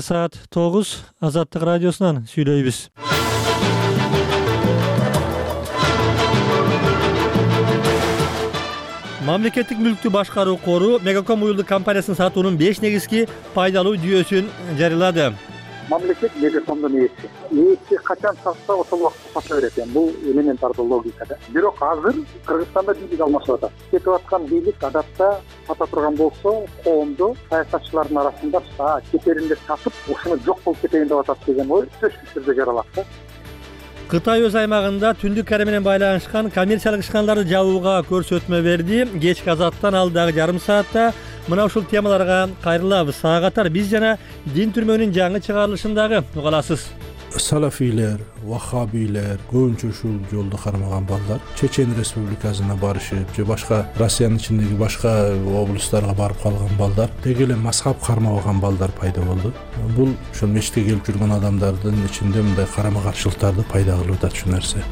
Саат 9 Азаттык радиосунан сүйлөйбүз. Мамлекеттик мүлктү башкаруу кору Мегаком уюлдук компаниясынын сатуунун 5 негизги пайдалуу жүйөсүн жарыялады. Мамлекет Мегакомдун ээси качан сатса ошол убакытта сата берет. Бул элементардуу логика да. Бирок азыр Кыргызстанда бийлик алмашып атат. Кетип аткан бийлик адатта сата турган болсо, коомдо саясатчылардын арасында кетеринде сатып, ушуну жок болуп кетейин деп атат деген ой сөзсүз түрдө жаралат да. Кытай өз аймагында Түндүк Корея менен байланышкан коммерциялык ишканаларды жабууга көрсөтмө берди. Кечки Азаттан алдагы жарым саатта мына ушул темаларга кайрылабыз. Сага катар биз жана дин түрмөгүнүн жаңы чыгарылышындагы уга аласыз. Салафийлер, ваххабийлер көбүнчө ушул жолду кармаган балдар Чечен Республикасына барышып, же башка Россиянын ичиндеги башка облустарга барып калган балдар, деги эле мазхаб кармабаган балдар пайда болду. Бул ошол мечитке келип жүргөн адамдардын ичинде мындай карама-каршылыктарды пайда кылып атат ушул нерсе.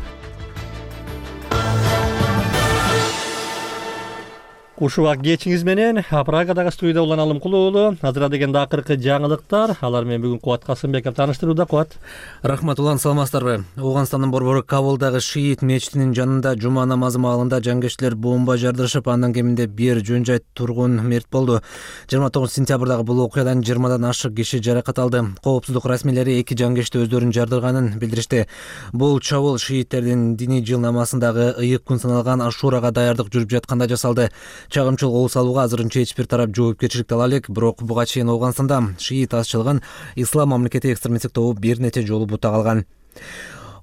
Ушуга кечиңиз менен Прагадагы студияда Улан Алымкул уулу. Азыр дегенде акыркы жаңылыктар. Алар менен бүгүн Кубат Касымбеков тааныштырууда. Кубат. Рахмат Улан, саламатсыздарбы? Ауганстандын борбору Кабулдагы шиит мечитинин жанында жума намазы маалында жангечтилер бомба жардырышып, андан кеминде бир жөн жай тургун мерт болду. 29 сентябрдагы бул окуядан 20дан ашык киши жаракат алды. Коопсуздук расмийлери 2 жангечти өздөрүн жардырганын билдиришти. Бул чабуул шииттердин диний жыл намазындагы ыйык күн саналган Ашурага даярдык жүрүп жатканда жасалды. Чагымчыл кол салууга азырынча эч бир тарап жоопкерчиликти ала элек, бирок буга чейин Ауганстанда шиит азчылыгын Ислам мамлекети экстремисттик тобу бир нече жолу бута калган.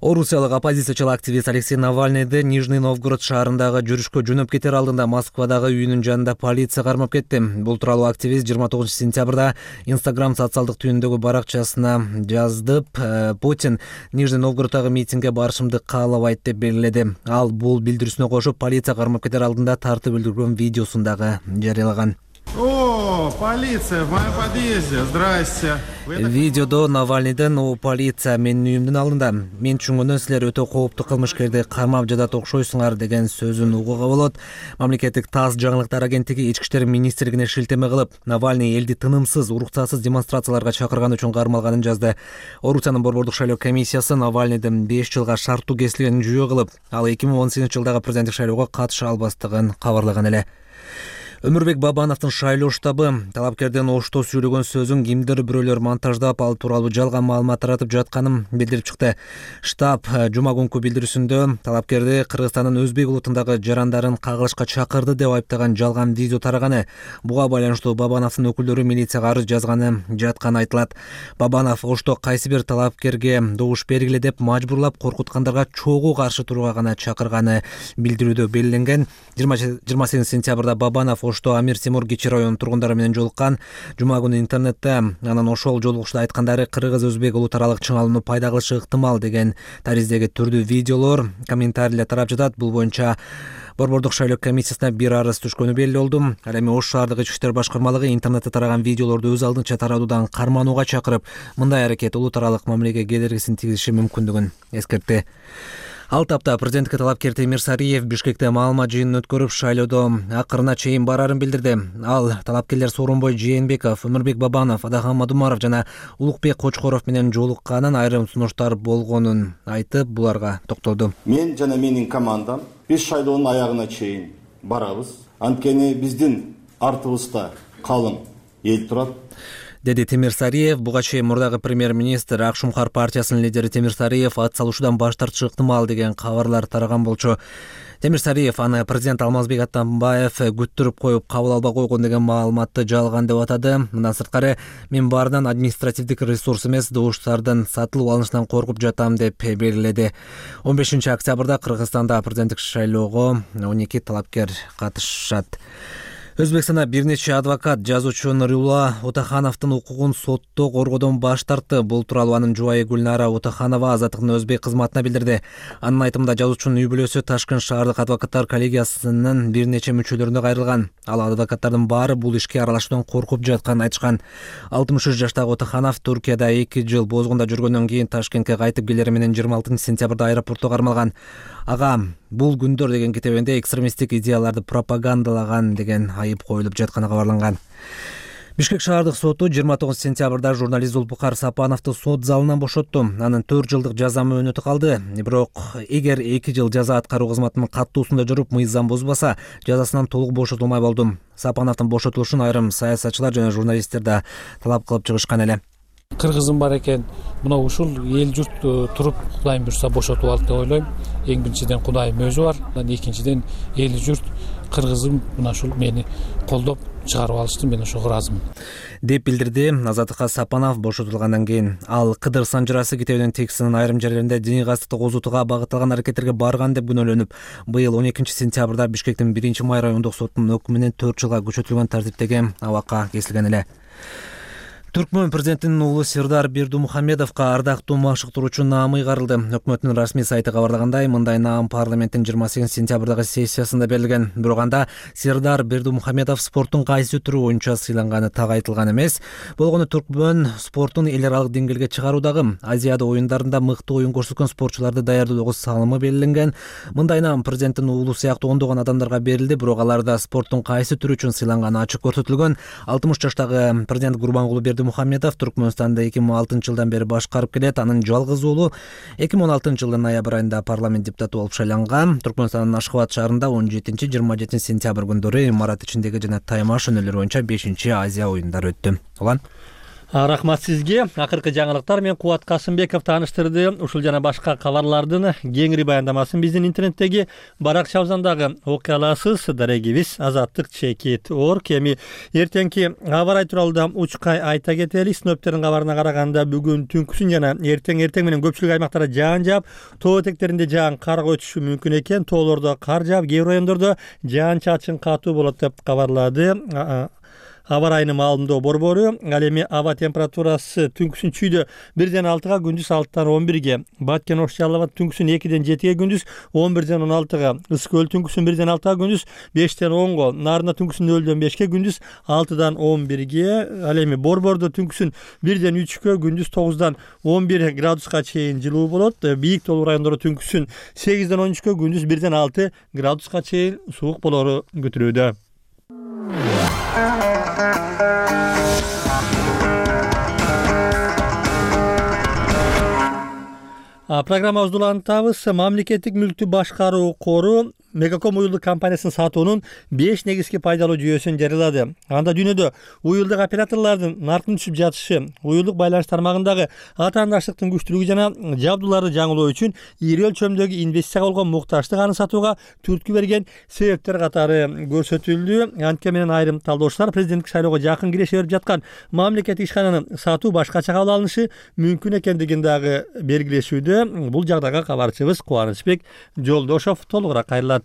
Орусиялык оппозициячыл активист Алексей Навальныйды Нижний Новгород шаарындагы жүрүшкө жөнөп кетер алдында Москвадагы үйүнүн жанында полиция кармап кетти. Бул тууралуу активист 29 сентябрда Instagram социалдык түйүндөгү баракчасына жаздып, Путин Нижний Новгороддагы митингге барышымды каалабайт деп белгиледи. Ал бул билдирүүсүнө кошуп, полиция кармап кетер алдында тартып өлтүргөн видеосун дагы жарыялаган. О, полиция в моем подъезде. Здрасте. Видеодо Навальныйдын "О, полиция менин үйүмдүн алдында. Мен түшүнгөндөн силер өтө кооптуу кылмышкерди кармап жатат окшойсуңар" деген сөзүн угууга болот. Мамлекеттик ТАСС жаңылыктар агенттиги Ички иштер министрлигине шилтеме кылып, Навальный элди тынымсыз, уруксатсыз демонстрацияларга чакырган үчүн кармалганын жазды. Орусиянын борбордук шайлоо комиссиясы Навальныйдын 5 жылга шарттуу кесилгенин жүйө кылып, ал 2018 жылдагы президенттик шайлоого катыша албастыгын кабарлаган эле. Өмүрбек Бабановдун шайлоо штабы талапкердин оштоо сүйлөгөн сөзүн кимдир бирөөлөр монтаждап, ал тууралуу жалган маалымат таратып жатканын билдирип чыкты. Штаб жума күнкү билдирүүсүндө талапкерди Кыргызстандын өзбек улутундагы жарандарын кагылышка чакырды деп айыптаган жалган видео тараганы. Буга байланыштуу Бабановдун өкүлдөрү милицияга арыз жазганы жатканы айтылат. Бабанов оштоо кайсы бир талапкерге добуш бергиле деп мажбурлап, коркуткандарга чогуу каршы турууга гана чакырганы билдирүүдө белгиленген. 28 сентябрда Бабанов Оштоо Амир Темур кичи районунун тургундары менен жолуккан. Жума күнү интернетте анын ошол жолугушта айткандары кыргыз-өзбек улут аралык чыңалууну пайда кылышы ыктымал деген тариздеги түрдүү видеолор, комментарийлер тарап жатат. Бул боюнча борбордук шайлоо комиссиясына бир арыз түшкөнү белгилүү болду. Ал эми Ош шаардык ички иштер башкармалыгы интернетте тараган видеолорду өз алдынча таратуудан карманууга чакырып, мындай аракет улут аралык мамилеге кедергисин тийгизиши мүмкүндүгүн эскертти. Ал тапта президенттикке талапкер Темир Сариев Бишкекте маалымат жыйынын өткөрүп, шайлоодо акырына чейин барарын билдирди. Ал талапкерлер Сооронбой Жээнбеков, Өмүрбек Бабанов, Адахан Мадумаров жана Улукбек Кочкоров менен жолукканын, айрым сунуштар болгонун айтып, буларга токтолду. Мен жана менин командам биз шайлоонун аягына чейин барабыз. Анткени биздин артыбызда калың эл турат, деди Темир Сариев. Буга чейин мурдагы премьер-министр Ак Шумкар партиясынын лидери Темир Сариев ат салушудан баш тартышы ыктымал деген кабарлар тараган болчу. Темир Сариев аны президент Алмазбек Атамбаев күттүрүп коюп кабыл албай койгон деген маалыматты жалган деп атады. Мындан сырткары, мен баарынан административдик ресурс эмес, добуштардын сатылып алынышынан коркуп жатам деп белгиледи. 15 октябрда Кыргызстанда президенттик шайлоого 12 талапкер катышат. Өзбекстанда бир нече адвокат жазуучу Нурулла Утахановдун укугун сотто коргоодон баш тартты. Бул тууралуу анын жубайы Гүлнара Утаханова Азаттыктын өзбек кызматына билдирди. Анын айтымында жазуучунун үй бүлөсү Ташкент шаардык адвокаттар коллегиясынын бир нече мүчөлөрүнө кайрылган. Ал адвокаттардын баары бул ишке аралашуудан коркуп жатканын айтышкан. 63 жаштагы Утаханов Туркияда 2 жыл бозгунда жүргөндөн кийин Ташкентке кайтып келери менен 26 сентябрда аэропортто кармалган. Ага, бул күндөр деген китебинде экстремисттик идеяларды пропагандалаган деген айып коюлуп жатканы кабарланган. Бишкек шаардык соту 29 сентябрда журналист Зулпукар Сапановду сот залынан бошотту. Анын 4 жылдык жаза мөөнөтү калды. Бирок эгер 2 жыл жаза аткаруу кызматынын каттуусунда жүрүп, мыйзам бузбаса, жазасынан толук бошотулмай болду. Сапановдун бошотулушун айрым саясатчылар жана журналисттер да талап кылып чыгышкан эле. Кыргызым бар экен, мына ушул эл журт туруп Кудайым буйрса бошотуп алды деп ойлойм. Эң биринчиден Кудайым өзү бар, экинчиден эл журт кыргызым мына ушул мени колдоп чыгарып алышты, мен ошого ыраазымын деп билдирди Азаттыкка Сапанов бошотулгандан кийин. Ал Кыдыр Санжырасы Китебинин текстинин айрым жерлеринде диний кастыкты козутууга багытталган аракеттерге барган деп күнөөлөнүп, быйыл 12 сентябрда Бишкектин 1-май райондук сотунун өкүмү менен 4 жылга күчөтүлгөн тартиптеги абакка кесилген эле. Түркмөн президентинин уулу Сирдар Бердумухамедовго ардактуу машыктыруучу наамы ыйгарылды. Өкмөттүн расмий сайты кабарлагандай, мындай наам парламенттин 28 сентябрдагы сессиясында берилген. Бирок анда Сирдар Бердумухамедов спорттун кайсы түрү боюнча сыйланганы так айтылган эмес. Болгону Түркмөн спортун эл аралык деңгээлге чыгаруудагы Азияда оюндарында мыкты оюн көрсөткөн спортчуларды даярдоодогу салымы белгиленген. Мындай наам президенттин уулу сыяктуу ондогон адамдарга берилди, бирок аларда спорттун кайсы түрү үчүн сыйланганы ачык көрсөтүлгөн. 60 жаштагы президент Гурбангулу Мухамедов Түркмөнстанда 2006 жылдан бери башкарып келет. Анын жалгыз уулу 2016 жылдын ноябрь айында парламент депутаты болуп шайланган. Түркмөнстандын Ашхабад шаарында 17-27 сентябрь күндөрү имарат ичиндеги жана тайма шөнөлөр боюнча 5-Азия оюндары өттү. Улан Рахмат сизге. Акыркы жаңылыктар менен Кубат Касымбеков тааныштырды. Ушул жана башка кабарлардын кеңири баяндамасын биздин интернеттеги баракчабыздагы окуя аласыз. Дарегибиз azatlyk.org. Эми эртеңки аба ырайы тууралуу да учкай айта кетели. Синоптиктердин кабарына караганда бүгүн түнкүсүн жана эртең менен көпчүлүк аймактарда жаан жаап, тоо этектеринде жаан карга өтүшү мүмкүн экен. Тоолордо кар жаап, кээ бир райондордо жаан чачын катуу болот деп кабарлады аба ырайынын маалымдоо борбору. Ал эми аба температурасы түнкүсүн чүйдө 1-6, күндүз 6-11. Баткен Ош Жалал Абад түнкүсүн 2-7, күндүз 11-16. Ысык Көл түнкүсүн 1-6, күндүз 5-10. Нарында түнкүсүн 0-5, күндүз 6-11. Ал эми борбордо түнкүсүн 1-3, күндүз 9-11 градуска чейин жылуу болот. Бийик тоолуу райондордо түнкүсүн 8-13, күндүз 1-6 градуска чейин суук болору күтүлүүдө. Программабызды улантабыз. Мамлекеттик мүлктү башкаруу кору Мегаком уюлдук компаниясынын сатуунун 5 негизги пайдалуу жүйөсүн жарыялады. Анда дүйнөдө уюлдук операторлордун наркын түшүп жатышы, уюлдук байланыш тармагындагы атаандаштыктын күчтүүлүгү жана жабдууларды жаңылоо үчүн ири өлчөмдөгү инвестицияга болгон муктаждык аны сатууга түрткү берген себептер катары көрсөтүлдү. Антке менен айрым талдоочулар президенттик шайлоого жакын киреше берип жаткан мамлекеттик ишкананын сатуу башкача кабыл алынышы мүмкүн экендигин дагы белгилешүүдө. Бул жагдайга кабарчыбыз Кубанычбек Жолдошов толугураак кайрылат.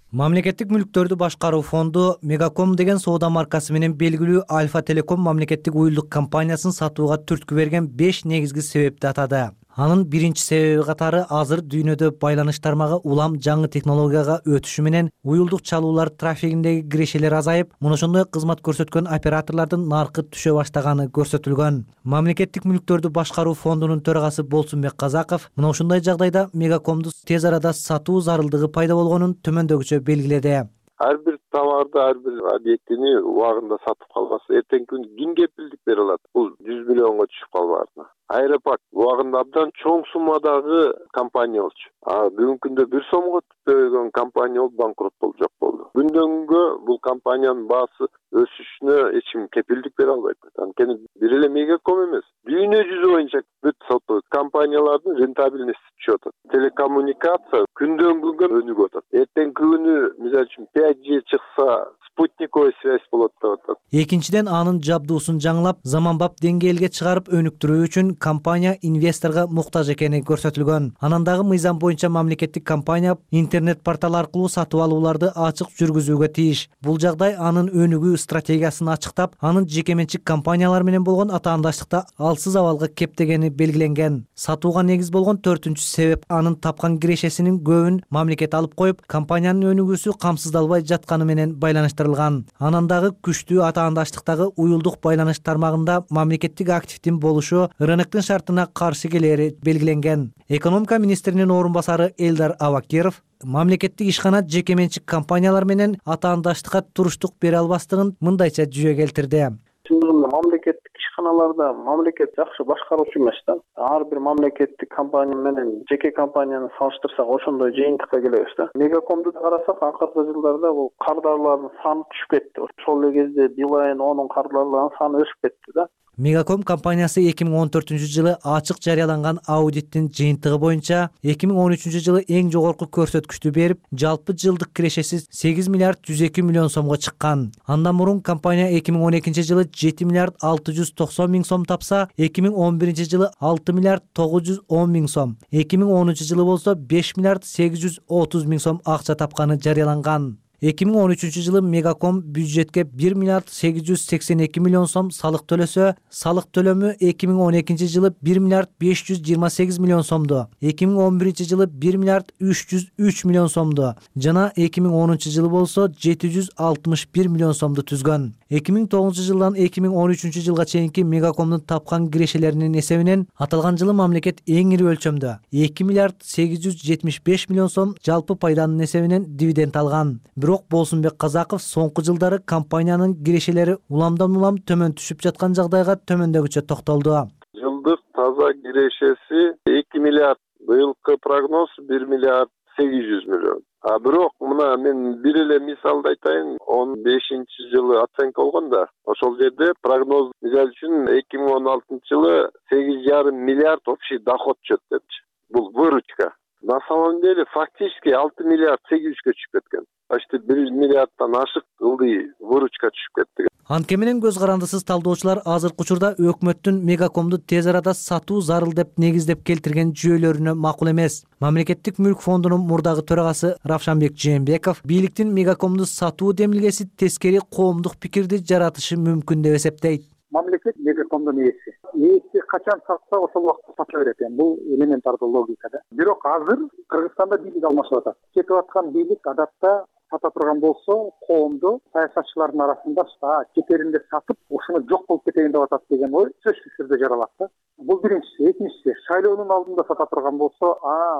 Мамлекеттик мүлктөрдү башкаруу фонду Мегаком деген соода маркасы менен белгилүү Альфа Телеком мамлекеттик уюлдук компаниясын сатууга түрткү берген 5 негизги себепти атады. Анын биринчи себеби катары азыр дүйнөдө байланыш тармагы улам жаңы технологияга өтүшү менен уюлдук чалуулар трафигиндеги кирешелер азайып, мына ошондой кызмат көрсөткөн операторлордун наркы түшө баштаганы көрсөтүлгөн. Мамлекеттик мүлктөрдү башкаруу фондунун төрагасы Болсунбек Казаков мына ушундай жагдайда Мегакомду тез арада сатуу зарылдыгы пайда болгонун төмөндөгүчө белгиледи. Ар бир товарды, ар бир объектини убагында сатып калбаса, эртеңки күнү ким кепилдик бере алат? Бул 100 миллионго түшүп калбаардына. Аэропарк убагында абдан чоң суммадагы компания болчу. Бүгүнкү күндө 1 сомго түзгөн компания болуп банкрот болуп жок болду. Күндөн күнгө бул компаниянын баасы өсүшүнө эч ким кепилдик бере албайт. Анткени бир эле Мегаком эмес, дүйнө жүзү боюнча бүт сатуу компаниялардын рентабельности түшүп атат. Телекоммуникация күндөн күнгө өнүгүп атат. Эртеңки күнү мисалы үчүн 5G чыкса, спутниковый связь болот деп атат. Экинчиден анын жабдуусун жаңылап, заманбап деңгээлге чыгарып өнүктүрүү үчүн компания инвесторго муктаж экени көрсөтүлгөн. Анан дагы мыйзам боюнча мамлекеттик компания интернет портал аркылуу сатып алууларды ачык жүргүзүүгө тийиш. Бул жагдай анын өнүгүү стратегиясын ачыктап, анын жеке менчик компаниялар менен болгон атаандаштыкта алсыз абалга кептегени белгиленген. Сатууга негиз болгон 4-үнчү себеп анын тапкан кирешесинин көбүн мамлекет алып коюп, компаниянын өнүгүүсү камсыздалбай жатканы менен байланыштырылган. Анан дагы күчтүү атаандаштыктагы уюлдук байланыш тармагында мамлекеттик активдин болушу рыноктун шартына каршы келери белгиленген. Экономика министринин орун басары Элдар Абакиров мамлекеттик ишкана жеке менчик компаниялар менен атаандаштыкка туруштук бере албастыгын мындайча жүйө келтирди. чындыгында мамлекеттик ишканаларда мамлекет жакшы башкаруучу эмес да. Ар бир мамлекеттик компания менен жеке компанияны салыштырсак ошондой жыйынтыкка келебиз да. Мегакомду карасак, акыркы жылдарда бул кардарлардын саны түшүп кетти. Ошол эле кезде Билайн онун кардарларынын саны өсүп кетти да. Мегаком компаниясы 2014-жылы ачык жарыяланган аудиттин жыйынтыгы боюнча 2013-жылы эң жогорку көрсөткүчтү берип, жалпы жылдык кирешеси 8 миллиард 102 миллион сомго чыккан. Андан мурун компания 2012-жылы 7 миллиард 690 миң сом тапса, 2011-жылы 6 миллиард 910 миң сом, 2010-жылы болсо 5 миллиард 830 миң сом акча тапканы жарыяланган. 2013-жылы Мегаком бюджетке 1 миллиард 882 миллион сом салык төлөсө, салык төлөмү 2012-жылы 1 миллиард 528 миллион сомду, 2011-жылы 1 миллиард 303 миллион сомду жана 2010-жылы болсо 761 миллион сомду түзгөн. 2009-жылдан 2013-жылга чейинки Мегакомдун тапкан кирешелеринин эсебинен аталган жылы мамлекет эң ири өлчөмдө 2 миллиард 875 миллион сом жалпы пайданын эсебинен дивиденд алган. Бирок Болсунбек Казаков соңку жылдары компаниянын кирешелери уламдан улам төмөн түшүп жаткан жагдайга төмөндөгүчө токтолду. Жылдык таза кирешеси 2 миллиард, быйылкы прогноз 1 миллиард 800 миллион. Бирок мына мен бир эле мисалды айтайын, 15-жылы оценка болгон да. Ошол жерде прогноз мисалы үчүн 2016-жылы 8,5 миллиард общий доход чөт депчи. Бул выручка. На самом деле фактически 6 миллиард 800-кө түшүп кеткен. Почти 1 миллиарддан ашык ылдый выручка түшүп кетти. Анткени көз карандысыз талдоочулар азыркы учурда өкмөттүн Мегакомду тез арада сатуу зарыл деп негиздеп келтирген жүйөлөрүнө макул эмес. Мамлекеттик мүлк фондунун мурдагы төрагасы Равшанбек Жээнбеков бийликтин Мегакомду сатуу демилгеси тескери коомдук пикирди жаратышы мүмкүн деп эсептейт. Мамлекет Мегакомдун ээси качан сатса ошол убакта сата берет. Бул элементардуу логика да. Бирок азыр Кыргызстанда бийлик алмашып атат. Кетип аткан бийлик адатта сата турган болсо, коомду саясатчылардын арасында кетеринде сатып, ушуну жок болуп кетейин деп атат деген ой сөзсүз түрдө жаралат да. Бул биринчиси. Экинчиси, шайлоонун алдында сата турган болсо,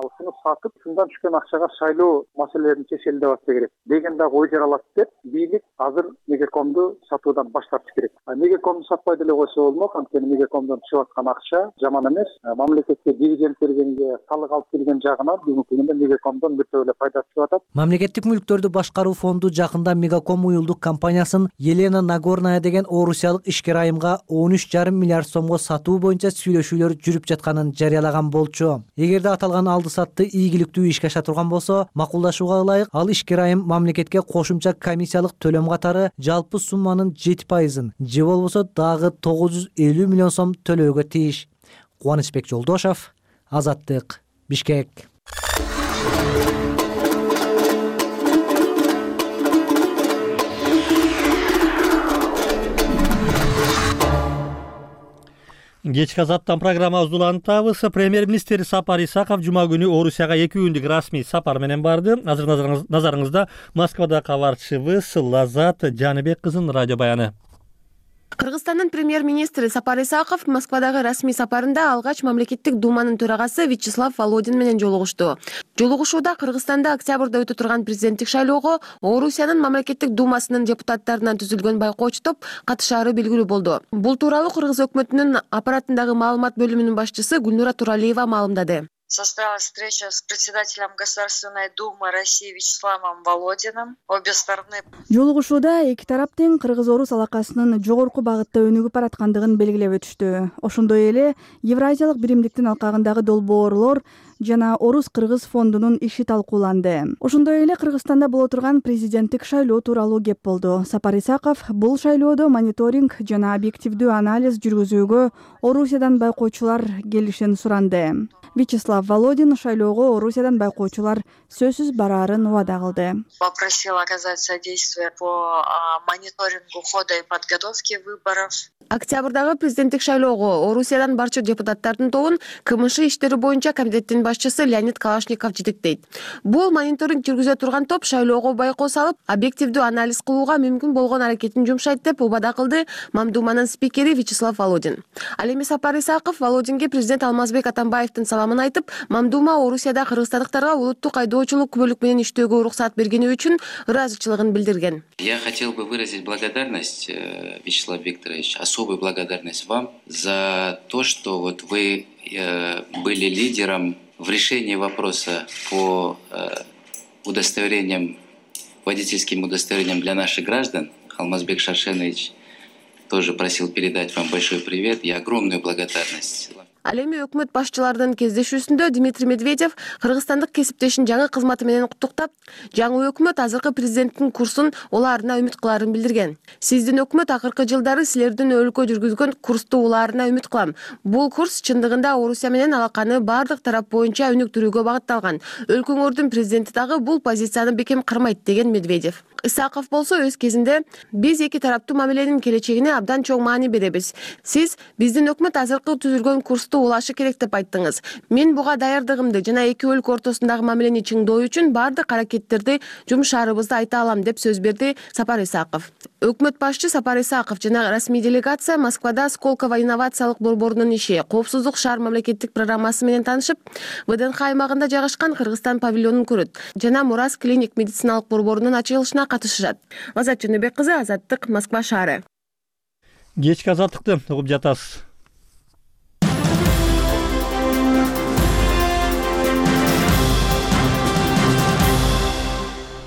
ушуну сатып, шундан түшкөн акчага шайлоо маселелерин чечели деп атса керек деген дагы ой жаралат деп, бийлик азыр Мегакомду сатуудан баш тартыш керек. Мегакомду сатпай деле койсо болмок, анткени Мегакомдон чыгып аткан акча жаман эмес. Мамлекетке дивиденд бергенге, салык алып келген жагынан бүгүнкү күндө Мегакомдон бир эле пайда чыгып атат. Мамлекеттик мүлктөрдү башкаруу фонду жакында Мегаком уюлдук компаниясын Елена Нагорная деген орусиялык ишкер айымга 13,5 миллиард сомго сатуу боюнча сүйлөшүүлөр жүрүп жатканын жарыялаган болчу. Эгерде аталган алды сатты ийгиликтүү ишке аша турган болсо, макулдашууга ылайык ал ишкер айым мамлекетке кошумча комиссиялык төлөм катары жалпы сумманын 7%, же болбосо дагы 950 миллион сом төлөөгө тийиш. Кубанычбек Жолдошов, Азаттык, Бишкек. Кечки Азаттан программабызды улантабыз. Премьер-министр Сапар Исаков жума күнү Орусияга 2 күндүк расмий сапар менен барды. Азыр назарыңызда Москвада кабарчыбыз Лазат Жаныбек кызынын радио баяны. Кыргызстандын премьер-министри Сапар Исаков Москвадагы расмий сапарында алгач мамлекеттик думанын төрагасы Вячеслав Володин менен жолугушту. Жолугушууда Кыргызстанда октябрда өтө турган президенттик шайлоого Орусиянын мамлекеттик думасынын депутаттарынан түзүлгөн байкоочу топ катышаары белгилүү болду. Бул тууралуу Кыргыз өкмөтүнүн аппаратындагы маалымат бөлүмүнүн башчысы Гүлнура Туралиева маалымдады. Состоялась встреча с председателем Государственной Думы России Вячеславом Володиным. Обе стороны. Жолугушууда эки тарап тең кыргыз-орус алакасынын жогорку багытта өнүгүп бараткандыгын белгилеп өтүштү. Ошондой эле Евразиялык биримдиктин алкагындагы долбоорлор жана Орус-Кыргыз фондунун иши талкууланды. Ошондой эле Кыргызстанда боло турган президенттик шайлоо тууралуу кеп болду. Сапар Исаков бул шайлоодо мониторинг жана объективдүү анализ жүргүзүүгө Орусиядан байкоочулар келишин суранды. Вячеслав Володин шайлоого Орусиядан байкоочулар сөзсүз бараарын убада кылды. Попросил оказать содействие по мониторингу хода и подготовки выборов. Октябрдагы президенттик шайлоого Орусиядан барчу депутаттардын тобун КМШ иштери боюнча комитеттин башчысы Леонид Калашников жетектейт. Бул мониторинг жүргүзө турган топ шайлоого байкоо салып, объективдүү анализ кылууга мүмкүн болгон аракетин жумшайт деп убада кылды Мамдуманын спикери Вячеслав Володин. Ал эми Сапар Исаков Володинге президент Алмазбек Атамбаевдин саламын айтып, Мамдума Орусияда кыргызстандыктарга улуттук айдоочулук күбөлүк менен иштөөгө уруксат бергени үчүн ыраазычылыгын билдирген. Я хотел бы выразить благодарность, Вячеслав Викторович, особую благодарность вам за то, что вот вы были лидером в решении вопроса по удостоверениям, водительским удостоверениям для наших граждан. Алмазбек Шаршенович тоже просил передать вам большой привет и огромную благодарность. Ал эми өкмөт башчыларынын кездешүүсүндө Дмитрий Медведев кыргызстандык кесиптешин жаңы кызматы менен куттуктап, жаңы өкмөт азыркы президенттин курсун улаарына үмүт кыларын билдирген. Сиздин өкмөт акыркы жылдары силердин өлкө жүргүзгөн курсту улаарына үмүт кылам. Бул курс чындыгында Орусия менен алаканы бардык тарап боюнча өнүктүрүүгө багытталган. Өлкөңөрдүн президенти дагы бул позицияны бекем кырмайт деген Медведев. Исаков болсо өз кезинде биз эки тараптуу мамиленин келечегине абдан чоң маани беребиз. Сиз биздин өкмөт азыркы түзүлгөн курсту улашы керек деп айттыңыз. Мен буга даярдыгымды жана эки өлкө ортосундагы мамилени чыңдоо үчүн бардык аракеттерди жумшаарыбызды айта алам деп сөз берди Сапар Исаков. Өкмөт башчы Сапар Исаков жана расмий делегация Москвада Сколково инновациялык борборунун иши, коопсуздук шаар мамлекеттик программасы менен таанышып, ВДНХ аймагында жайгашкан Кыргызстан павильонун көрөт жана Мурас клиник медициналык борборунун ачылышына катышышат. Азат Жөнөбек кызы, Азаттык, Москва шаары. Кечки азаттыкты угуп жатасыз.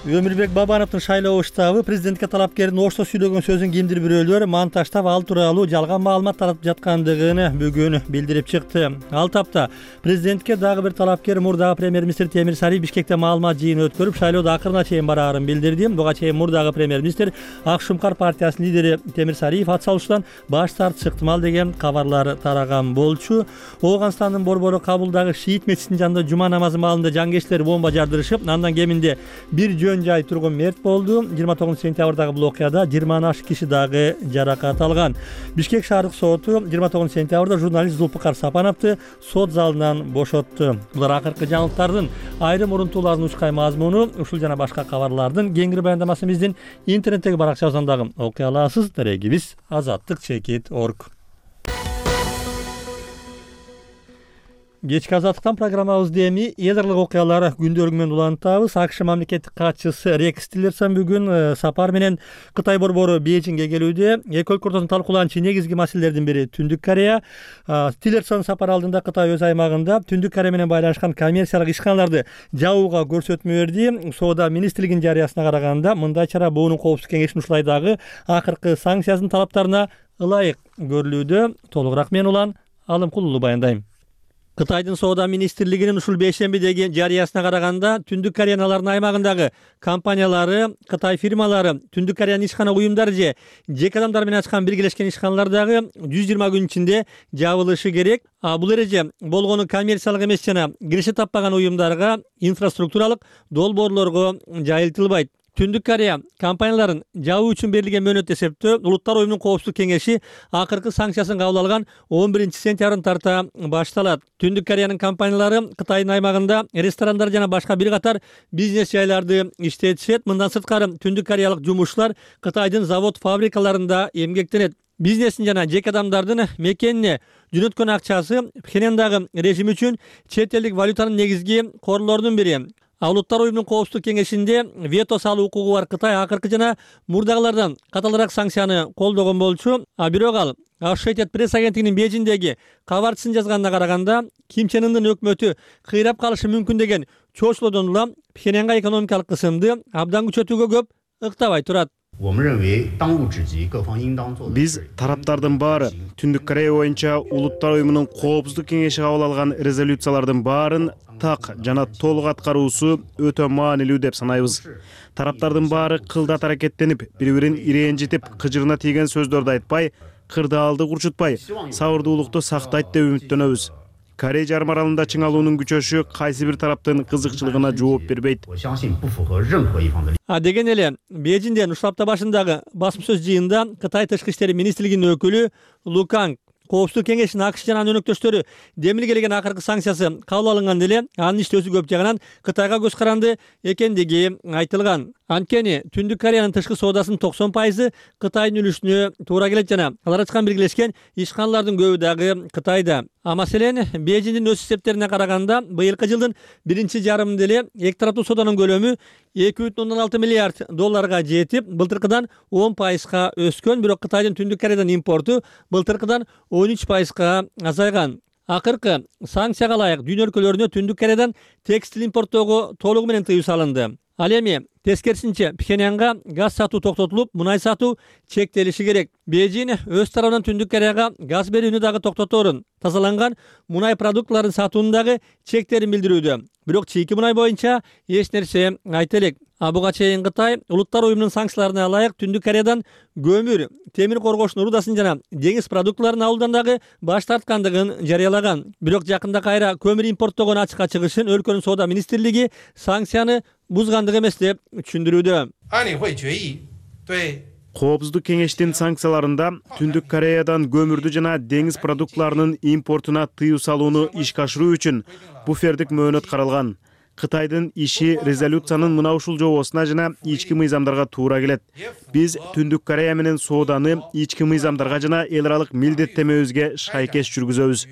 Өмүрбек Бабановдун шайлоо штабы президентке талапкердин ошто сүйлөгөн сөзүн кимдир бирөөлөр монтаждап ал тууралуу жалган маалымат таратып жаткандыгын бүгүн билдирип чыкты. Ал тапта президентке дагы бир талапкер мурдагы премьер-министр Темир Сариев Бишкекте маалымат жыйыны өткөрүп, шайлоодо акырына чейин бараарын билдирди. Буга чейин мурдагы премьер-министр Ак Шумкар партиясынын лидери Темир Сариев ат салуштан баш тартышы ыктымал деген кабарлар тараган болчу. Ооганстандын борбору Кабулдагы шиит мечитинин жанында жума намазы маалында жангечтер бомба жардырышып, андан кеминде бир жай тургун мерт болду. 29 сентябрдагы бул окуяда 20 ашык киши дагы жаракат алган. Бишкек шаардык соту 29 сентябрда журналист Зулпукар Сапановду сот залынан бошотту. Булар акыркы жаңылыктардын айрым урунтуулардын учкай мазмуну, ушул жана башка кабарлардын кеңири баяндамасын биздин интернеттеги баракчабыздан дагы окуй аласыз. Дарегибиз azattik.org. Кечки азаттыктан программабызды эми эдарлык окуялар күндөлүгү менен улантабыз. АКШ мамлекеттик катчысы Рекс Тиллерсон бүгүн сапар менен Кытай борбору Бейжиңге келүүдө. Эки өлкө ортосунда талкууланчу негизги маселелердин бири Түндүк Корея. Тиллерсон сапар алдында Кытай өз аймагында Түндүк Корея менен байланышкан коммерциялык ишканаларды жабууга көрсөтмө берди. Соода министрлигинин жарыясына караганда мындай чара буунун коопсуздук кеңешинин ушулайдагы акыркы санкциясынын талаптарына ылайык көрүлүүдө. Толугураак мен Улан Алымкулуу баяндайм. Кытайдын соода министрлигинин ушул бейшембидеги жарыясына караганда Түндүк Кореянын алардын аймагындагы компаниялары, Кытай фирмалары, Түндүк Кореянын ишкана уюмдары же жеке адамдар менен ачкан биргелешкен ишканалар дагы 120 күн ичинде жабылышы керек. Бул эреже болгону коммерциялык эмес жана киреше таппаган уюмдарга, инфраструктуралык долбоорлорго жайылтылбайт. Түндүк Корея компанияларын жабуу үчүн берилген мөөнөт эсептөө Улуттар уюмунун коопсуздук кеңеши акыркы санкциясын кабыл алган 11 сентябрын тарта башталат. Түндүк Кореянын компаниялары Кытайдын аймагында ресторандар жана башка бир катар бизнес жайларды иштетишет. Мындан сырткары Түндүк Кореялык жумушчулар Кытайдын завод фабрикаларында эмгектенет. Бизнестин жана жеке адамдардын мекенине жөнөткөн акчасы Пхеньяндагы режим үчүн чет элдик валютанын негизги корлорунун бири. Улуттар уюмунун коопсуздук кеңешинде вето салуу укугу бар Кытай акыркы жана мурдагылардан каталыраак санкцияны колдогон болчу. Бирок ал Associated Press агенттигинин Бейжиңдеги кабарчысын жазганына караганда Ким Чен Ындын өкмөтү кыйрап калышы мүмкүн деген чоочулоодон улам Пхеньянга экономикалык кысымды абдан күчөтүүгө көп ыктабай турат. Биз тараптардын баары Түндүк Корея боюнча Улуттар уюмунун коопсуздук кеңеши кабыл алган резолюциялардын баарын так жана толук аткаруусу өтө маанилүү деп санайбыз. Тараптардын баары кылдат аракеттенип, бири-бирин ирэнжитип, кыжырына тийген сөздөрдү айтпай, кырдаалды курчутпай, сабырдуулукту сактайт деп үмүттөнөбүз. Корей жарым аралында чыңалуунун күчөшү кайсы бир тараптын кызыкчылыгына жооп бербейт. Деген эле Бейжиңден ушул апта башындагы басма сөз жыйынында Кытай тышкы иштери министрлигинин өкүлү Лу Канг коопсуздук кеңешинин АКШ жана анын өнөктөштөрү демилгелеген акыркы санкциясы кабыл алынган деле анын иштөөсү көп жагынан Кытайга көз каранды экендиги айтылган. Анткени Түндүк Кореянын тышкы соодасынын 90% Кытайдын үлүшүнө туура келет жана алар ачкан биргелешкен ишканалардын көбү дагы Кытайда. Маселен, Бейжиңдин өз эсептерине караганда, быйылкы жылдын биринчи жарымында эле эки тараптуу сооданын көлөмү 2,6 миллиард долларга жетип, былтыркыдан 10% өскөн, бирок Кытайдын Түндүк Кореядан импорту былтыркыдан 13% азайган. Акыркы санкцияга ылайык дүйнө өлкөлөрүнө Түндүк Кореядан текстил импорттоого толугу менен тыюу салынды. Ал эми тескерисинче Пхеньянга газ сатуу токтотулуп, мунай сатуу чектелиши керек. Бейжиң өз тарабынан Түндүк Кореяга газ берүүнү дагы токтоторун, тазаланган мунай продуктларын сатууну дагы чектерин билдирүүдө. Бирок чийки мунай боюнча эч нерсе айта элек. Буга чейин Кытай Улуттар уюмунун санкцияларына ылайык Түндүк Кореядан көмүр, темир коргоочтун рудасын жана деңиз продуктларын алуудан дагы баш тарткандыгын жарыялаган. Бирок жакында кайра көмүр импорттогон ачыкка чыгышын өлкөнүн соода министрлиги санкцияны бузгандык эмес деп түшүндүрүүдө. Коопсуздук кеңештин санкцияларында Түндүк Кореядан көмүрдү жана деңиз продуктларынын импортуна тыюу салууну ишке ашыруу үчүн буфердик мөөнөт каралган. Кытайдын иши резолюциянын мына ушул жобосуна жана ички мыйзамдарга туура келет. Биз Түндүк Корея менен сооданы ички мыйзамдарга жана эл аралык милдеттенмебизге шайкеш жүргүзөбүз.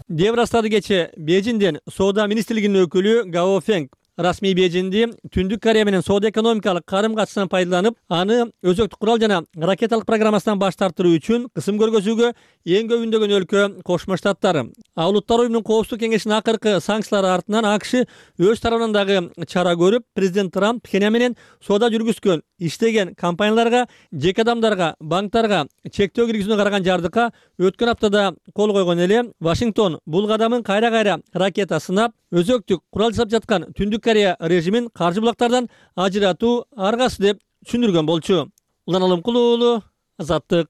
Деп ырастады кече Бейжиңден соода министрлигинин өкүлү Гао Фенг. Расмий Бейжиңди Түндүк Корея менен соода экономикалык карым-катышынан пайдаланып, аны өзөктүк курал жана ракеталык программасынан баш тартыруу үчүн кысым көргөзүүгө эң көбүндөгөн өлкө Кошмо Штаттар. Улуттар уюмунун коопсуздук кеңешинин акыркы санкциялары артынан АКШ өз тарабынан дагы чара көрүп, президент Трамп Пхеньян менен соода жүргүзгөн, иштеген компанияларга, жеке адамдарга, банктарга чектөө киргизүүнү караган жардыкка өткөн аптада кол койгон эле. Вашингтон бул кадамын кайра-кайра ракета сынап, өзөктүк курал жасап жаткан Түндүк Корея режимин каржы булактардан ажыратуу аргасы деп түшүндүргөн болчу. Улан Алымкулуу уулу, Азаттык.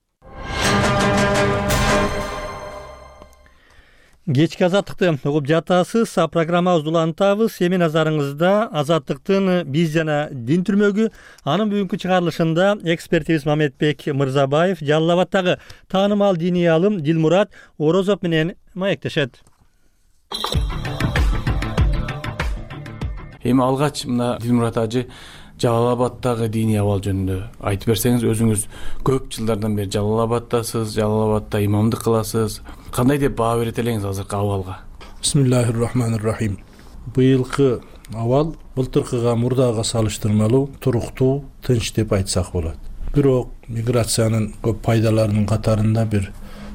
Кечки Азаттыкты угуп жатасыз. Программабызды улантабыз. Эми назарыңызда Азаттыктын биз жана дин түрмөгү анын бүгүнкү чыгарылышында экспертибиз Мамедбек Мырзабаев Жалал Абаддагы таанымал диний алым Дилмурат Орозов менен маектешет. Эми алгач мына Дилмурат ажы Жалал Абаддагы диний абал жөнүндө айтып берсеңиз, өзүңүз көп жылдардан бери Жалал Абаддасыз, Жалал Абадда имамдык кыласыз. Кандай деп баа берет элеңиз азыркы абалга? Бисмиллахир-рахманир-рахим. Быйылкы абал былтыркыга мурдага салыштырмалуу туруктуу, тынч деп айтсак болот. Бирок миграциянын көп пайдаларынын катарында бир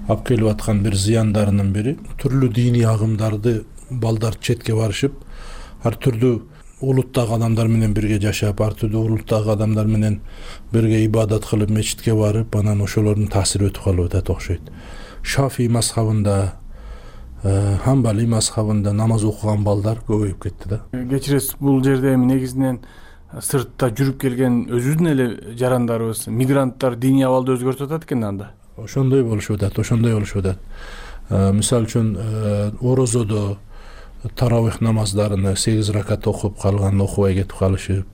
алып келип аткан бир зыяндарынын бири түрлүү диний агымдарды балдар четке барышып, ар түрдүү улуттагы адамдар менен бирге жашап, ар түрдүү улуттагы адамдар менен бирге ибадат кылып, мечитке барып, анан ошолордун таасири өтүп калып атат окшойт. Шафий мазхабында, Хамбали мазхабында намаз окуган балдар көбөйүп кетти да. Кечиресиз, бул жерде эми негизинен сыртта жүрүп келген өзүбүздүн эле жарандарыбыз, мигранттар диний абалды өзгөртүп атат экен анда. Ошондой болушуп атат. Мисалы үчүн орозодо таравих намаздарыны 8 ракат окуп калган окубай кетип калышып,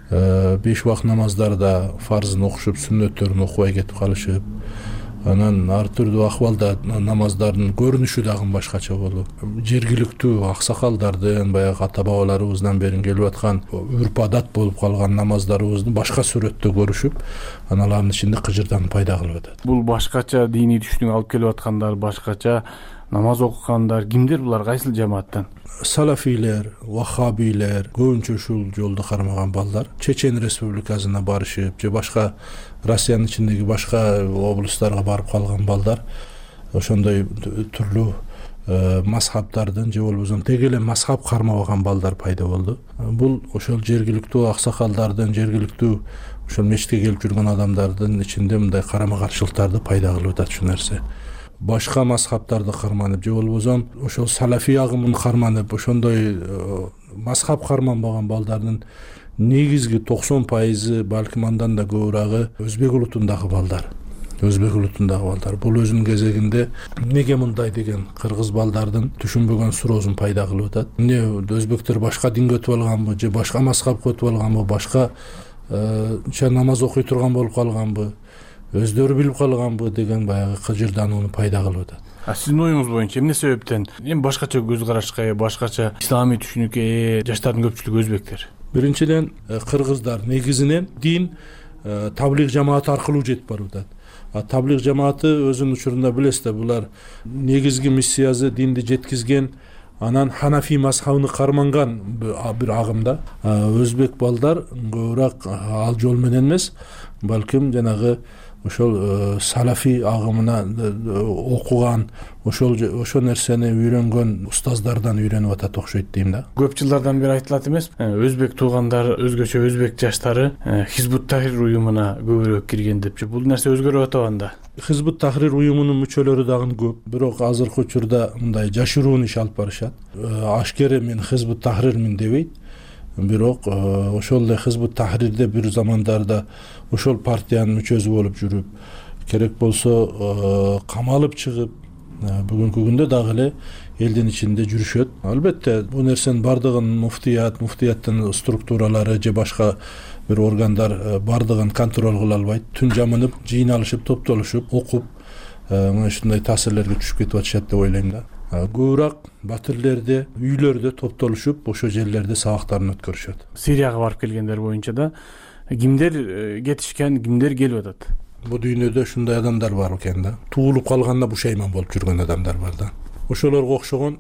5 убак намаздарда фарзын окушуп, сүннөттөрүн окубай кетип калышып, анан ар түрдүү акыбалда намаздардын көрүнүшү дагы башкача болуп, жергиликтүү аксакалдардын, баягы ата бабаларыбыздан бери келип аткан үрп адат болуп калган намаздарыбызды башка сүрөттө көрүшүп, аналардын ичинде кыжырданып пайда кылып атат. Бул башкача диний түшүнүк алып келип аткандар, башкача намаз окугандар кимдер булар, кайсыл жамааттан? Салафилер, ваххабилер, көбүнчө ушул жолду кармаган балдар Чечен республикасына барышып, же башка Россиянын ичиндеги башка облустарга барып калган балдар, ошондой түрлүү мазхабтардын же болбосо тег эле мазхаб кармабаган балдар пайда болду. Бул ошол жергиликтүү аксакалдардын, жергиликтүү ошол мечитке келип жүргөн адамдардын ичинде мындай карама каршылыктарды пайда кылып атат ушул нерсе. Башка мазхабтарды карманып, же болбосо ошол салафий агымын карманып, ошондой мазхаб карманбаган балдардын негизги 90% балким андан да көбүрагы өзбек улутундагы балдар. Бул өзүнүн кезегинде неге мындай деген кыргыз балдардын түшүнбөгөн суроосун пайда кылып атат. Эмне өзбектер башка динге өтүп алганбы, же башка мазхабка өтүп алганбы, башка намаз окуй турган болуп калганбы, өздөрү билип калганбы деген баягы кыжырданууну пайда кылып атат. Сиздин оюңуз боюнча эмне себептен эми башкача көз карашка, башкача исламий түшүнүккө жаштардын көпчүлүгү өзбектер? Биринчиден, кыргыздар негизинен дин таблиг жамааты аркылуу жетип барып атат. Таблиг жамааты өзүнүн учурунда билесиз да, булар негизги миссиясы динди жеткизген, анан Ханафи мазхабын карманган бир агымда. Өзбек балдар көбүрөөк ал жол менен эмес, балким жанагы ошол салафи агымына окуган, ошол нерсени үйрөнгөн устаздардан үйрөнүп атат окшойт дейм да. Көп жылдардан бери айтылат эмес, өзбек туугандар, өзгөчө өзбек жаштары Хизбут Тахрир уюмуна көбүрөөк кирген депчи. Бул нерсе өзгөрүп атабы анда? Хизбут Тахрир уюмунун мүчөлөрү дагы көп, бирок азыркы учурда мындай жашыруун иш алып барышат. Ашкере мен Хизбут Тахрирмин дебейт, бирок ошол эле Хизбут Тахрирде бир замандарда ошол партиянын мүчөсү болуп жүрүп, керек болсо камалып чыгып, бүгүнкү күндө дагы эле элдин ичинде жүрүшөт. Албетте бул нерсенин бардыгын муфтияттын структуралары же башка бир органдар бардыгын контроль кыла албайт. Түн жамынып, жыйналышып, топтолушуп, окуп, мына ушундай таасирлерге түшүп кетип атышат деп ойлойм да. Көбүрөөк батирлерде, үйлөрдө топтолушуп, ошол жерлерде сабактарын өткөрүшөт. Сирияга барып келгендер боюнча да кимдер кетишкен, кимдер келип атат? Бул дүйнөдө ушундай адамдар бар экен да. Туулуп калганда бушайман болуп жүргөн адамдар бар да. Ошолорго окшогон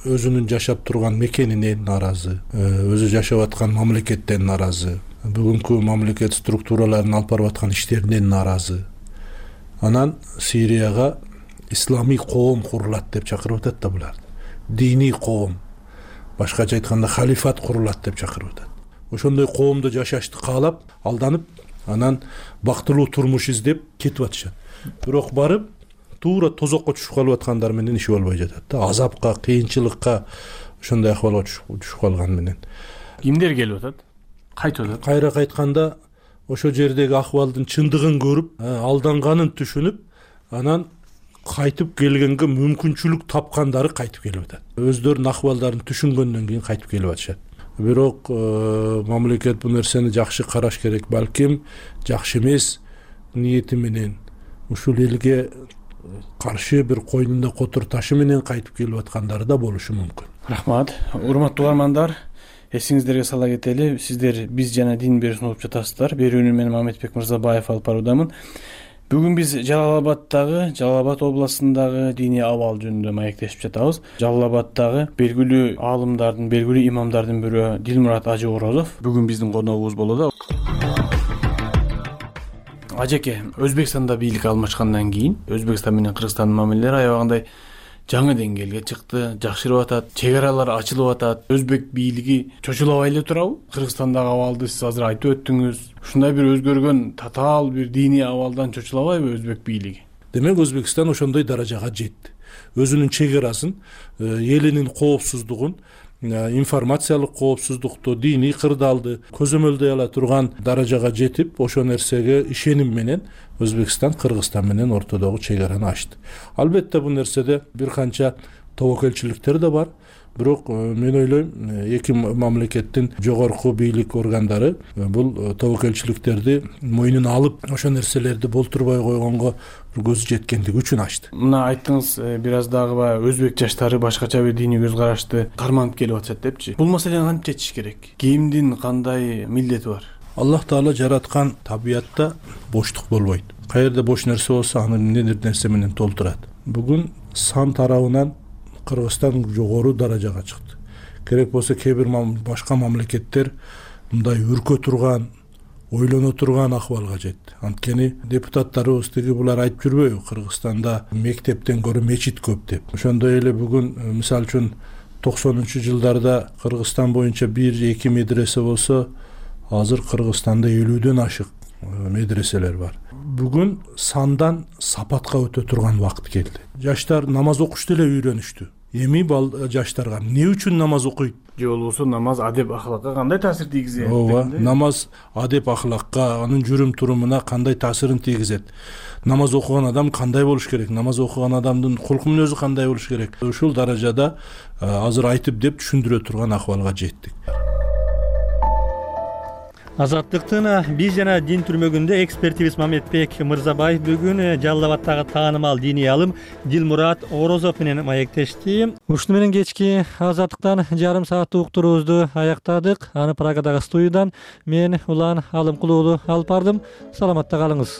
өзүнүн жашап турган мекенинен наразы, өзү жашап аткан мамлекеттен наразы, бүгүнкү мамлекет структураларынын алып барып аткан иштеринен наразы. Анан Сирияга ислами коом курулат деп чакырып атат да булар. Диний коом, башкача айтканда халифат курулат деп чакырып атат. Ошондой коомдо жашашты каалап, алданып, анан бактылуу турмуш издеп кетип атышат. Бирок барып, туура тозокко түшүп калып аткандар менен иши болбой жатат да. Азапка, кыйынчылыкка, ошондой акыбалга түшүп калган менен. Кимдер келип атат? Кайтып атат? Кайра кайтканда ошол жердеги акыбалдын чындыгын көрүп, алданганын түшүнүп, анан кайтып келгенге мүмкүнчүлүк тапкандары кайтып келип атат. Өздөрүнүн акыбалдарын түшүнгөндөн кийин кайтып келип атышат. Бирок мамлекет бул нерсени жакшы караш керек. Балким жакшы эмес ниети менен ушул элге каршы бир койнунда котур ташы менен кайтып келип аткандары да болушу мүмкүн. Рахмат. Урматтуу угармандар, эсиңиздерге сала кетели, сиздер Биз жана дин берүүсүн угуп жатасыздар. Берүүнү мен Мамедбек Мырзабаев алып баруудамын. Бүгүн биз Жалал-Абад областындагы диний абал жөнүндө маектешип жатабыз. Жалал-Абаддагы белгилүү аалымдардын, белгилүү имамдардын бирөө Дилмурат Ажы Орозов бүгүн биздин коногубуз болот. Ажеке, Өзбекстанда бийлик алмашкандан кийин Өзбекстан менен Кыргызстандын мамилелери аябагандай жаңы деңгээлге чыкты, жакшырып атат, чек аралар ачылып атат. Өзбек бийлиги чочулабай эле турабы? Кыргызстандагы абалды сиз азыр айтып өттүңүз. Ушундай бир өзгөргөн, татаал бир диний абалдан чочулабайбы Өзбек бийлиги? Демек Өзбекстан ошондой даражага жетти. Өзүнүн чек арасын, элинин коопсуздугун, информациялык коопсуздукту, диний кырдаалды көзөмөлдөй ала турган даражага жетип, ошол нерсеге ишеним менен Өзбекстан Кыргызстан менен ортодогу чек араны ачты. Албетте бул нерседе бир канча тобокелчиликтер да бар. Бирок мен ойлойм, эки мамлекеттин жогорку бийлик органдары бул тобокелчиликтерди мойнуна алып, ошол нерселерди болтурбай койгонго көзү жеткендиги үчүн ачты. Мына айттыңыз, бир аз дагы өзбек жаштары башкача бир диний көз карашты карманып келип атышат депчи. Бул маселени кантип чечиш керек? Кимдин кандай милдети бар? Аллах Таала жараткан табиятта боштук болбойт. Каерде бош нерсе болсо, аны эмнедир нерсе менен толтурат. Бүгүн сан тарабынан Кыргызстан жогору даражага чыкты. Керек болсо кээ бир башка мамлекеттер мындай үркө турган, ойлоно турган акыбалга жетти. Анткени депутаттарыбыз тиги булар айтып жүрбөйбү, Кыргызстанда мектептен көрө мечит көп деп. Ошондой эле бүгүн мисалы үчүн 90-жылдарда Кыргызстан боюнча 1-2 медресе болсо, азыр Кыргызстанда 50дөн ашык медреселер бар. Бүгүн сандан сапатка өтө турган убакыт келди. Жаштар намаз окушту эле үйрөнүштү. Эми жаштарга эмне үчүн намаз окуйт? Же болбосо намаз адеп ахлакка кандай таасир тийгизет? Ооба, намаз адеп ахлакка, анын жүрүм турумуна кандай таасирин тийгизет? Намаз окуган адам кандай болуш керек? Намаз окуган адамдын кулку мүнөзү кандай болуш керек? Ушул даражада азыр айтып деп түшүндүрө турган акыбалга жеттик. Азаттыктын Биз жана дин түрмөгүндө экспертибиз Мамедбек Мырзабаев бүгүн Жалал-Абаддагы таанымал диний алым Дилмурат Орозов менен маектешти. Ушуну менен кечки Азаттыктан жарым сааттык уктуруубузду аяктадык. Аны Прагадагы студиядан мен Улан Алымкулуулу алып бардым. Саламатта калыңыз.